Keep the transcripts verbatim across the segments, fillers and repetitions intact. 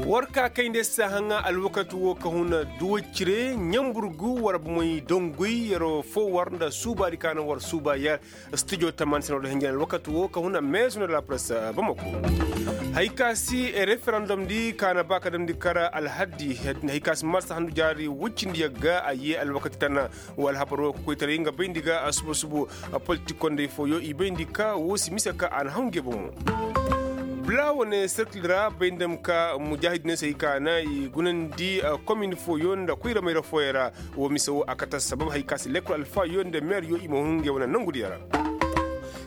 War ka kayndi se haŋa alwakati wo ka huna duwacire ɲamburgu war bomoy donguy yero fo war nda suubaadi ka na war suuba yer. Studio taman sino da hinjin alwakati wo ka huna meesu na la presse bamako. Hay ka si referendum di ka na ba ka damndi kara alhaddi hay ka si marsa handu jaari wuccindi yagga a ye alwakati tana. Wo alhabar wo ka koytaray nga bayndi ga suba suba. Politik kondey fooyo i bayndi ka wo si mise ka a na haw ngey bomo. Bula wane serkil ra bay nda ma ka mujaahidiney se hay ka na i gunandi komin fooyo nda koyra mayra fooyaŋ ra. Wo mise wo a kate sabab hay ka si lekkol alfaayo nda meeryo i ma hun ngey wane nongudiyo ra.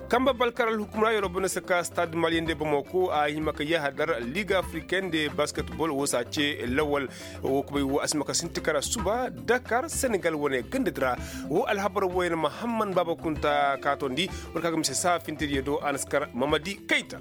Kamba balkar alhukum ra yeroo banda se ka stad maliyende bamako a hima ka yahadar liga afriken de basketbol wo se a ce lawal. Wo kubay wo a si ma ka sinti kara suba dakar senegal wane gandadi ra. Wo alhabar wooyaŋ mahamman baaba kunta kaatondi. War ka ga mise saa fintiriyo do a na si kar mamadi kayta.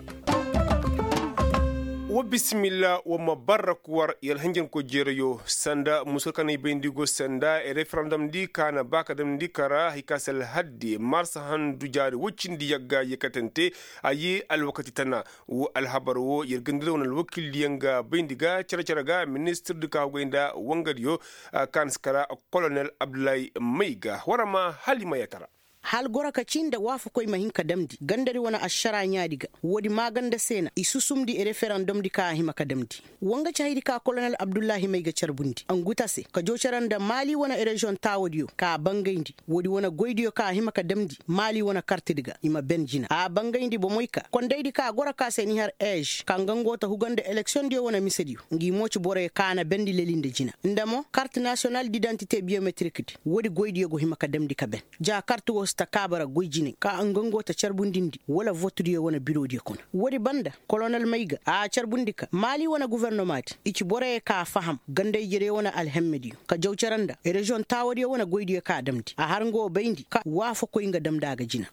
Wa bisimilla wa ma barra kuwar yer hanjankoy jeerayo sanda musu kaŋ ay bay nda i go sanda referandom di ka na ba ka damndi kara hay ka si alhaddi marsa handu jaari woy cindi yagga yeekatante. A ye alwakati tana. Wo alhabar wo yer gandira wane alwakildiyaŋ ga bayndi ga cere-cere ga ministir di ka haggoy nda wangadiyo ka na si kara kolonel abdullahi mayga war ma hala i ma yeetara. Hala goro ka ci nda waafakoy ma hin ka damndi gandari wane ašaraa ɲaadi ga. Woodi maaganda se na i susumndi referandom di ka a hima ka damndi. Woo nga ci hayadi ka kolonel abdullahi may ga carbundi angu ta se ka jow cere nda maali wane reziyoŋ taawadiyo ka a bangayndi. Woodi wane goydiyo ka a hima ka damndi maali wane kartidi ga i ma ben jina a bangayndi bomey ka kondaydi ka goro ka se ni har eez ka nga ngo ta huga nda eleksiyoŋdiyo wane misediyo. Ngi mo ci boroyo ka a na bendi leli nda jina nda mo kart nasiyonal didantite biyometirikdi. Woodi goydiyo go hima ka damndi ka ben ja kart woo si ta kaaba ra goy jinay ka nga ngo ta carbundindi wala votudiyo wane birodiyo kuna. Woodi banda kolonel may ga a carbundi ka maali wane gofornomaadi i ci boroyo ka a faham ganda-ijediyo wane alhemmediyo ka jaw cere nda reziyoŋ taawadiyo wane goydiyo ka a damndi a har nga wo bayndi ka waafakoy nga damndi a ga jina.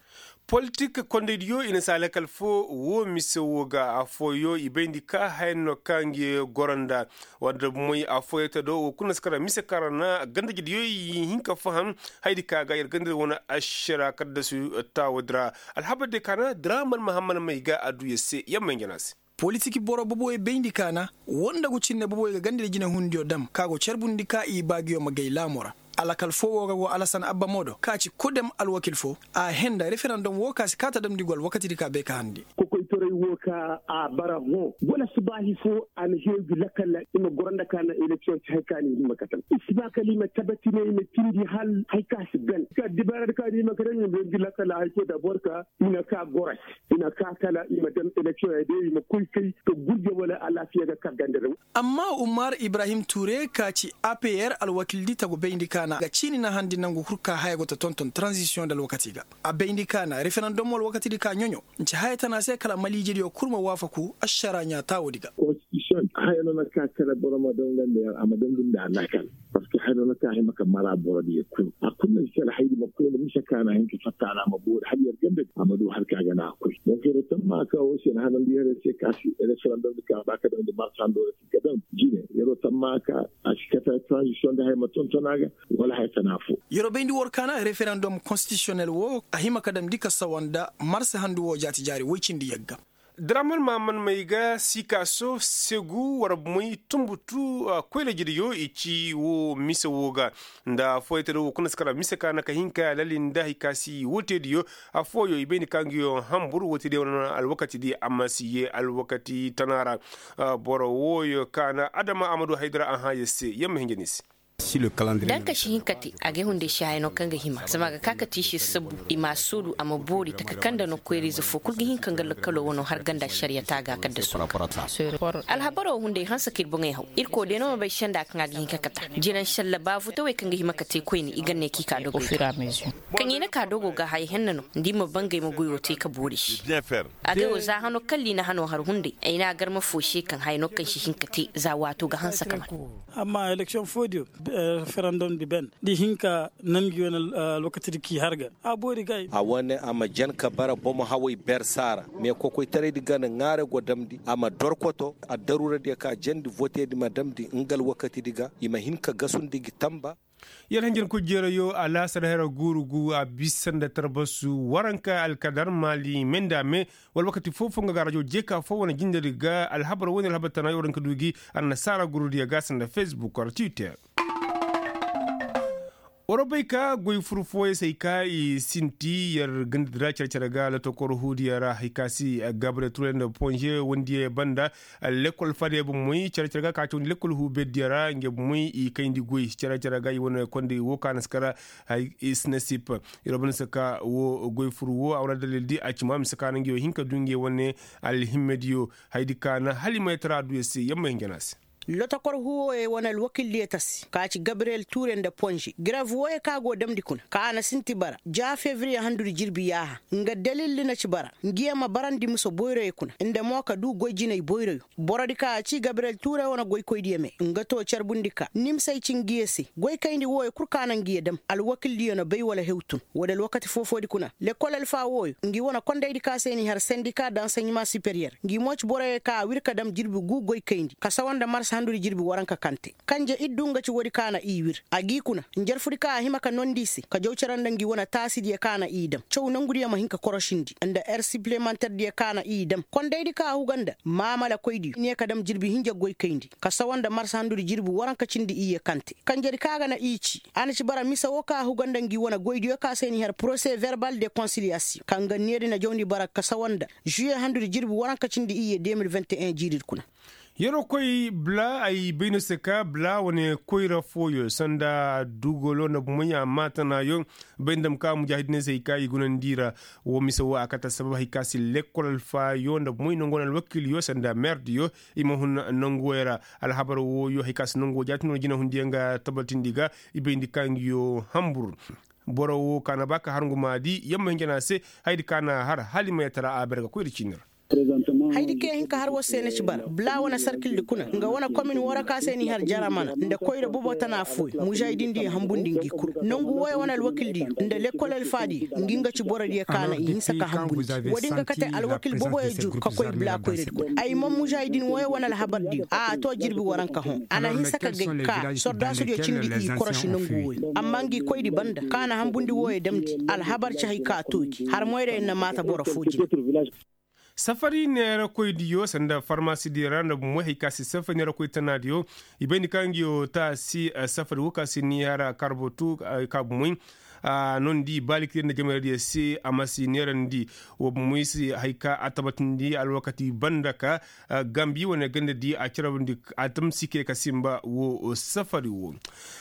Politik kondaydiyo i na si a lakal foo woo mise woo ga affooyo i bayndi ka haya no ka ngi goro nda war nda moy affooyo te do woo kul na si kara mise kaŋ ra na ganda-ijediyo i hin ka faham. Hayadi ka ga yer ganda wane ašara kaddasu taawadi ra. Alhabar diyo ka na draman mahamman may ga a duu yer se yamma hinja no a se. Politik boro boboyo bayndi ka na woo nda gu cinne boboyo ga ganda nda jinehundiyo dam ka go carbundi ka i baagiyo ma gay laamo ra. Alakal foo woo ga go alasan abba moodo ka ci kodem alwakil foo a henda referandom woo ka si kaa ta damndi go alwakatidi ka bay ka handi. Kokoytaray woo ka a bara hõ wala subaahi foo a na heew gi lakal i ma goro nda ka na eleksiyoŋ ci hay ka ni hima ka tam i si ba kala i ma tabatinay i ma cindi hal hay ka si ben ka dibaaradi ka ni hima ka tam i ma heew gi lakal hay foo dabor ka i na ka goro se i na ka kala i ma daŋ eleksiyoŋ ya day i ma koy kay ka gurje wala alaafiya ga ka ganda daŋ. Amma umar ibrahim tuure ka ci a p r alwakildi tagu bayndi ka na ga ciini na handi nangu kul ka haya go ta tonton taranzisiyoŋ nda alwakati ga. A bayndi ka na referandom alwakatidi ka ɲoɲo nci haya tana se kala maliijediyo kul ma waafaku ašara ɲaa taawodi ga. Haya no na ka kala boro ma dangandi a ma dangandi a lakal. Parceque haya no na ka hima ka mara borodiyo kul a kul na si kala haydi ma koy nda mise ka na hin ka fatta a na a ma boori hala yer ganda a ma du hala ka ga na a koy donk yer tamma ka wo se na hanandi yer se ka si referandom di ka ba ka dangandi marsa hando ra si ka daŋ jine yer tamma ka a si kata transition di haya ma tonton a ga. Wala haya tana fo. Yer bayndi war ka na referandom konstitisiyonel wo a hima ka damndi ka sawa nda marsa handu wo jaati jaari woy cindi yagga. Draman maman may ga sikaaso segu war moy tunbutu koyra jidiyo i ci wo mise wo ga nda affooyey te do wo kuna si kara mise ka na ka hin ka lali nda hay ka si woo teediyo. Affooyo i bay ni ka ngiyo hambur woo teediyo wane alwakatidi amma si yee alwakati tana ra. Boro wooyo ka na adama a ma du haydara a hãa yer se yer ma hinja ni se. Da nga ka si hin ka te a ga ay hunday si haya no kaŋ ga hima zama a ga ka ka te i se sabu i ma a soodu a ma boori taka kaŋ nda no koyra-ize fo kulu ga hin ka nga lakkalo wano har ganda ašariya te a ga kaddasu. Alhabaro wo hunday hanse ka ir boŋey haw irkoy day no ma bay senda kaŋ a ga hin ka kata jina nšalla ba futawey kaŋ ga hima ka te koyne i ga ne ka i ka dogo. Kaŋ i na ka dogo ga haya henna no nda i ma bangay ma goyo te ka boori se. Agay wo za hano kalla i na hano har hunday ay na a garma fo se kaŋ haya no kaŋ si hin ka te za waato ga hanse ka man. Amma eleksiyoŋ foodiyo referandom di ben da i hin ka nan gi wane alwakatidi k'i hargan a boori ga ay. A wane a ma jan ka bara bomo haway ber saara me kokoytaraydi gana ŋaaray go damndi a ma dorkoto addaruuradiyo ka jandi voteedi ma damndi nga alwakatidi ga i ma hin ka gasundi gi tamba. Yer hanjankoy jeerayo alaasar hera guuru gu a bisa nda tarbasu waranka alkadar maali menda me wala wakati foo-foo nga ga rajo jeeka foo wane jindari ga alhabar wane alhabar tana yo waranka du gi annasaara gurudiyo ga sanda facebook wala twitter. War bay ka goy fur fooyey se ay ka i sinti yer gandadi ra care-care ga lotokor huudiyo ra hay ka se gabriel ture nda ponze wandiyey banda. Lekkol fadey bomoy care-care ga ka cawandi lekkol huu berdiyo ra ngey bomoy i kayndi goy care-care ga i wane kondey woo ka na si kara. Hay i si na sip. Yer wo banda si ka woo goy fur woo a wane dalildi a ci ma mise ka na ngey wo hin ka du ngey wane alhimmediyo. Haydi ka na hala i ma yatara adduya se yer ma hin jana se. Lotokor huuwoyey wane alwakildiyo tasi ka ci gabriyel tuure nda ponze grev wooyey ka go damndi kuna ka a na sinti bara ja febriye handudi jirbi yaaha. Nga dalildi na ci bara ngiyo ma barandi mise boyroyo kuna nda mo ka duu goy jinay boyroyo. Borodi ka a ci gabriyel tuure wane goykoydiyo me nga too carbundi ka ni mise ay ci ngiyo se goy kayndi wooyo kul ka na ngiyo dam alwakildiyo na bay wala hew tun. Woodi alwakati foo-foodi kuna lekkol alfa wooyo ngi wane kondaydi ka se n'i har sendika da anseɲema superiyer ngi mo ci boroyo ka a wir ka dam jirbi guu goy kayndi ka sawa nda mars handudi jirbi waranka kaŋ te kanje iddu nga ci woodi ka na i wir a g'i kuna njarfudi ka a hima ka noondi i se ka jaw cere nda ngi wane taasidiyo ka na i dam caw nongudiyo ma hin ka korosindi nda er sipilemanterdiyo ka na i dam kondaydi ka a huga nda maamalakoydiyo ne ka dam jirbi hinja goy kayndi ka sawa nda mars handudi jirbi waranka cindi iyye kaŋ te kanjedi ka ga na i ci a na ci bara mise woo ka a huga nda ngi wane goydiyo ka se n'i har porose verbal de konsiliyasiyoŋ kaŋ ga needi na jawndi bara ka sawa nda žuye handudi jirbi waranka cindi iyye deux mille vingt et un jiiridi kuna. Yeroo koy bla ay bay no se ka bla wane koyra fooyo sanda dugolo nda bumoy amma tanaayo bay nda dam ka mujaahidiney se hay ka i gunandi i ra. Woo mise woo a kate assabab hay ka si lekkol alfaayo nda bumoy nongo na alwakiiliyo sanda meerdiyo i ma hun nonguwey ra. Alhabar wooyo hay ka si nonguwo jaati no jinahundiyaŋ ga tabatindi ga i bayndi ka ngiyo hambur. Boro woo ka na ba ka har ngu maadi yamma hinja no a se. Hayadi ka na a har hala i ma yatara a ber ga koy nda ciini ra. Hayadi kaŋ ya hin ka har war se na ci bara bla wane sarkildi kuna nga wane komin woo ra ka se n'i har jaramana nda koyra bobo tana fooyo mužahidindiyo hambundi ngi kul nongu wooyo wane alwakildiyo nda lekkol alfaadiyo ngi nga ci borodiyo ka na i hinsa ka hambundi. Woodi nga kate alwakil boboyo jur ka koy bla koyradi kuna ay man mužahidin wooyo wane alhabardiyo a a too jirbi waranka hõ a na hinsa ka gay ka sordaasudiyo cindi i koroši nongu wooyo amma ngi koydi banda ka na hambundi wooyo damndi alhabar ci hay ka too gi har moyra yer na maata boro foo jine. Safari neerakoydiyo sanda farmasidiyo ra nda bumoy hay ka si safari neerakoy tanaadiyo i bayndi ka ngiyo taasi safari woo ka si niihara karbotu ka bumoy. Noondi baalikir nda jamaradiyo se a ma si neerandi woo bumoy se hay ka a tabatindi alwakati banda ka gambi wane gandadi a carabandi a tamsike ka sinba woo safari woo.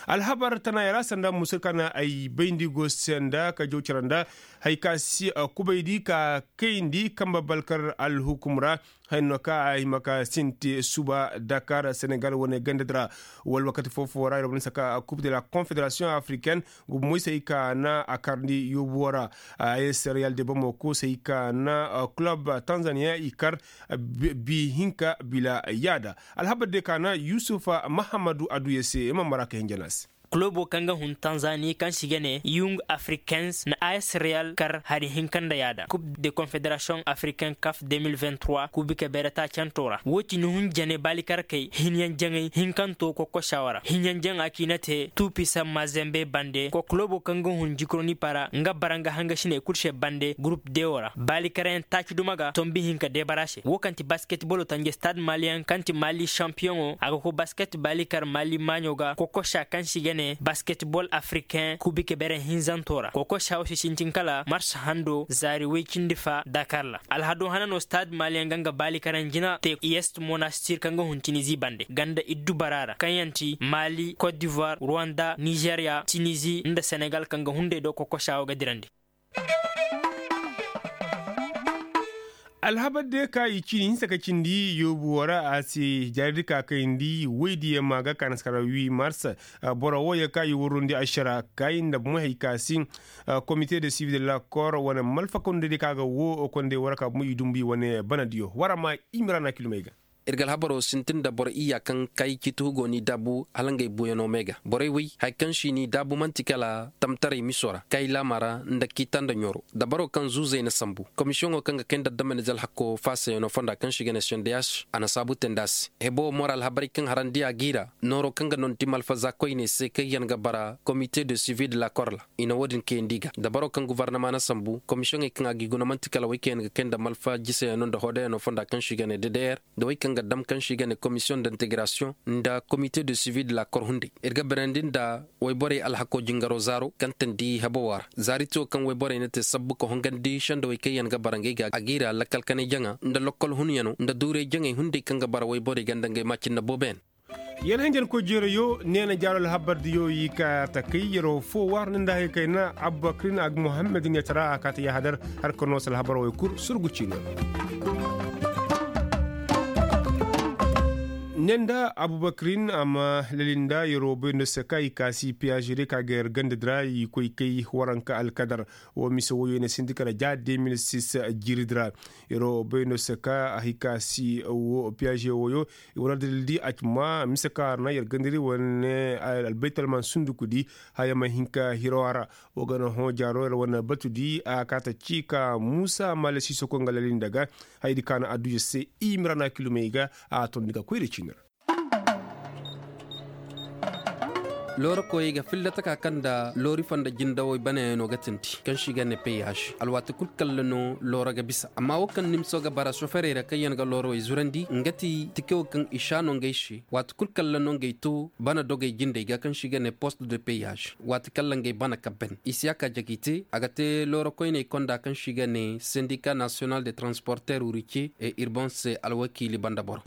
Alhabar tanaaya ra sanda musur ka na ay bayndi go senda ka jaw cara nda hay ka si kubaydi ka kayndi kamba balkar alhukum ra. Hay no ka a hima ka sinti suba dakar senegal wane gandadi ra. Wala wakati foo-foo ra ir wane saka coupe de la confederation africaine. Gubu moysey ka na a karndi yoobu woo ra. Ay se real de bamako sey ka na club tanzania i kar bi hinka bila yaada. Alhabar de ka na yusufa mahammadu aduya se i ma mara ka hinja no a se. Kulobo kaŋ ga hun tanzani kaŋ se i ga ne yung africains na a s real kar hari hinka nda yaada coupe de confederation africaine kaf deux mille vingt-trois kuubi ka beere taacantoo ra woo ti ni hun jane baalikarkey hinyaŋ jaŋay hinkantoo kokoshawa ra hinyaŋ jaŋa kaŋ i na te tuupisa mazembe bande kulobo kaŋ ga hun jikronipa ra nga bara nga hangasiney kul se bande gurup de woo ra baalikareyaŋ taaci duma ga tombi hinka deebara se woo kaŋ ti basketbolo tanje stad maliyaŋ kaŋ ti mali sampiyoŋo a ga koy basket baalikar mali maaɲo ga kokosha kaŋ se i ga ne basketbol afrikain kubike bere hinzanto ra kokosha wo si sintin kala mars hando zaari woy cindi fa dakar ra alhado hana no stad maliyaŋ ga nga baalikareyaŋ jina te i est monastir kaŋ ga hun tinizi bande ganda iddu bara ra kaŋ yaŋ ti mali cote d'ivoire rwanda nizeria tinizi nda senegal kaŋ ga hunday do kokosha wo ga dirandi. Alhabar de ka i cini hinsa ka cindi yoobu woo ra a se jaaridi ka kayndi woydiyo ma ga ka na si kara huit mars. Boro wooyo ka i warrundi ašara kay nda bumo hay ka si komite de sivi de la kor wane malfakawndi de ka ga woo konday woo ra ka bumo i dumbu i wane banadiyo war a ma i mira na kilumey ga. Ir ga alhabaroo sintin nda boro iyya kaŋ kay ciiti hugo n'i daabu hala ngey buuyanoo mee ga borey wey haya kaŋ se i n'i daabu man'ti kala tamtaray miso ra kay laama ra nda kiita nda ɲooro dabaroo kaŋ zuuzey na sambu komisiyoŋo kaŋ ga kay nda damanize alhakoo faasayanoo fonda kaŋ se i ga ne sendeyaas a na saabu teendi a se. Hebo wo mora alhabarey kaŋ harandi a g'i ra nooroo kaŋ ga nonti malfaza koyney se kaŋ yaŋ ga bara komite de sivi de la kor ra. I na wo-din kayandi i ga dabaroo kaŋ gofornama na sambu komisiyoŋey kaŋ a g'i guna man'ti kala wey kaŋ yaŋ ga kay nda malfa jisayanoo nda hoodayano fonda kaŋ se i ga ne dedeer nda wey kaŋ ga dam kaŋ se i ga ne komisiyoŋ de integrasiyoŋ nda komite de sivi de la kor hunday. Ir ga berandi nda wayborey alhakoo jingaroo zaaro kaŋ teendi hebo wo ra zaari ti wo kaŋ wayborey na te sabbu ka hongandi sendawey kaŋ yaŋ ga bara ngey ga a g'i ra lakal kanay jaŋa nda lokkol hunyanoo nda duuray jaŋay hunday kaŋ ga bara wayborey ga nda ngey maacinna booboyaŋ. Yer hinjankoy jeerayo neena jaaro alhabardiyo i ka takay yeroo foo waar ni nda hay kayna abubakirin ag muhammad ɲatara a kaata yahadar. Har ka noo se alhabaroo wey kul surgu ciino. Ne nda abubakirin a ma lali nda yeroo bay nda se ka i kaasi piyaaze day ka ga yer ganda di ra i koy kay waranka alkadar. Woo mise woyoo i na sindi kala ja de mil sis jiiri di ra. Yeroo bay nda se ka a hay kaasi woo piyaaze woyoo. I wane adalil di a ci ma mise kaŋ a ra na yer ganda di wane albaytalman sunduku di. Haya ma hin ka hiroo a ra. Woo ga na hõ jaaroo yer wane batu di a kaata ci ka muusa maale siisoko nga lali nda ga. Haya di kaŋ a na adduya se i mira na kilumey ga. A tondi ga koy da ciini ra. Loori koyey ga filla taka kaŋ nda loori fonda jindawey banayaŋo ga tindi kaŋ se i ga ne peyaz. Alwaati kul kalla no looro ga bisa amma wo kaŋ nimso ga bara soferey ra kaŋ yaŋ ga loorowey zurandi nga ti tike wo kaŋ i sha no ngey se. Waati kul kalla no ngey to bana dogey jindey ga kaŋ se i ga ne post de peyaz. Waati kalla ngey bana kabben i si a ka jagi te a ga te looro koyney konda kaŋ se i ga ne sendika nasiyonal de transporter wurike e irbon se alwakiili banda boro.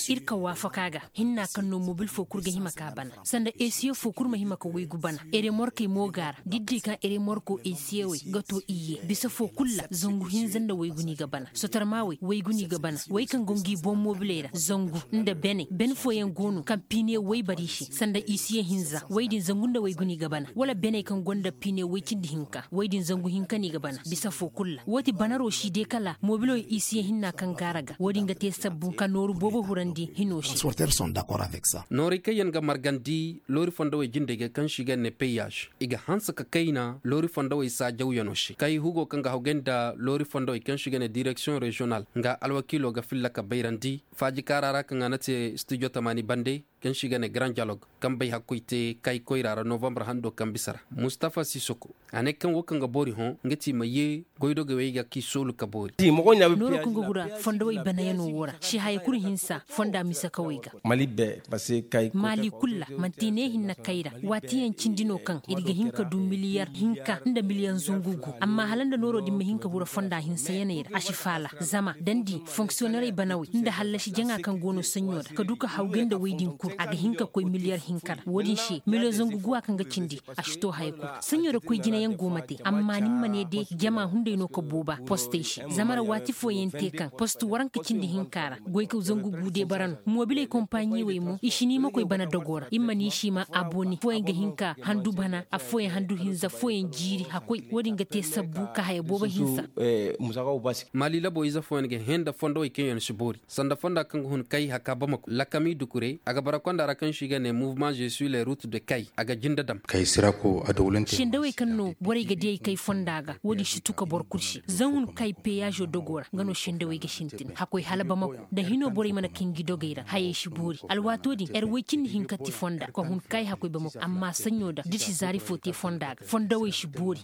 Ir ka waafaka ga hinna kaŋ no mobil foo kul ga hima ka bana sanda esiye foo kul ma hima ka waygu bana. Eremorkey mo ga a ra da ir di kaŋ eremorko esiyewey ga too iyye bisa foo kul ra zangu hinza nda waygu no i ga bana sotarmaawey waygu no i ga bana. Wey kaŋ go ngi boŋ mobiley ra zangu nda beney ben fooyaŋ go no kaŋ piine waybari se sanda isiye hinza wey din zangu nda waygu no i ga bana wala beney kaŋ gonda piine way cindi hinka wey din zangu hinka no i ga bana bisa foo kul ra woo ti banaroo si de kala mobiloo isiye hinna kaŋ gaara ga woo din ga te sabbu ka nooru boobo hurandi hinoo se. Nooray kaŋ yaŋ ga margandi loori fondowey jindey ga kaŋ se i ga ne peyaz i ga hanse ka kayna loori fondowey saajawyanoo se kay hugo kaŋ ga hawgay nda loori fondowey kaŋ se i ga ne direksiyoŋ reziyonal nga alwakiiloo ga filla ka bayrandi faaji kaara ra kaŋ a na te stijo tamaani bande kaŋ se i ga ne garan jalog kaŋ bay hakkoy te kay koyra ra novambar hando kaŋ bisa ra. Mustafa sisoko a ne kaŋ wo kaŋ ga boori hõ nga ti i ma yee goydogey wey ga k'i soolu ka boori. Nooroo kaŋ ga gura fondowey banayanoo woo ra se haya kul hinsa fonda mise kawey ga. Maali kul ra man'ti ne hinne kay ra waatiyaŋ cindi no kaŋ ir ga hin ka du miliyar hinka nda miliyar zangu gu amma hala nda nooroo din ma hin ka gura fonda hinsayaney ra a si faala zama da ni di fonksiyonerey banawey nda hallasi jaŋa kaŋ go no saɲɲo ra ka du ka hawgay nda wey din kul a ga hin ka koy miliyar hinka ra woo din se miliyar zangu guwa kaŋ ga cindi a si to haya kul. Saɲɲo ra koy jinayaŋ go ma te amma ni ma ne de jama hunday no ka booba postey se zama ra waati fooyaŋ te kaŋ post waranka cindi hinka ra goykaw zangu gu de bara no mobiley kompaaɲiwey mo i si ni ma koy bana dogoo ra i ma ni si ma abone fooyaŋ ga hin ka handu bana affooyaŋ handu hinza fooyaŋ jiiri hakkoy woo din ga te sabbu ka haya boobo hinsa. Maali laboo ize fooyaŋ ga hẽ nda fondowey kaŋ yaŋ si boori sanda fonda kaŋ ga hun kay haka bamako lakami dukure a ga bara konda ra kaŋ se i ga ne muvement je suis le route de kay a ga jinde dam. Sendawey kaŋ no borey ga diyey kay fonda ga woo din si tu ka boro kul se zan hun kay peyazo dogoo ra nga no sendawey ga sintin hakkoy hala bamako nda hinoo borey mana kay ngi dogey ra hayey si boori alwaatoo din yer woy cindi hinka ti fonda ka hun kay hakkoy bamako amma saɲɲo da da ir si zaari foo te fonda ga fondawey si boori.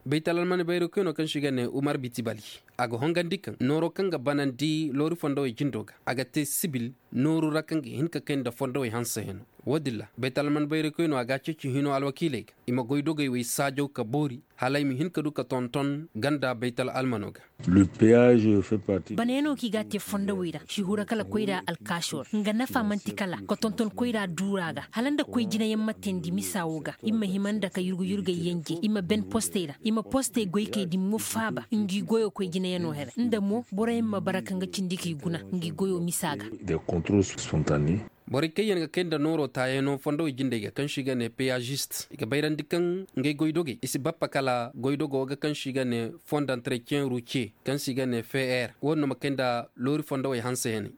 Baytalalmani bayrokoynoo kaŋ se i ga ne umar bitibali a ga hongandi kaŋ nooroo kaŋ ga banandi loori fondowey jindoo ga a ga te sibil nooru ra kaŋ ga hin ka kay nda fondowey hanseyanoo. Woo din ra baytal alman bayrakoynoo a ga a ceeci hinoo alwakiiley ga i ma goydogey wey saajaw ka boori hala i ma hin ka du ka tonton ganda baytal almanoo ga. Banayanoo kaŋ i ga a te fondowey ra si huru kala koyra alkaasoo ra nga nafa man'ti kala ka tonton koyra duuraa ga hala nda koy jinayaŋ ma teendi misa woo ga i ma hima nda ka yurgu-yurgey yenje i ma ben postey ra i ma postey goykey din mo faaba ngi goyoo koy jinayanoo here nda mo boroyaŋ ma bara ka nga cindi k'i guna ngi goyoo misa ga. Borey kaŋ yaŋ ga kay nda nooro taayanoo fondowey jindey ga kaŋ se i ga ne peyazist i ga bayrandi kaŋ ngey goydogey i si bappa kala goydogo ga kaŋ se i ga ne fond d'entretien ruce kaŋ se i ga ne feer wo- din no ma kay nda loori fondowey hanseyaney.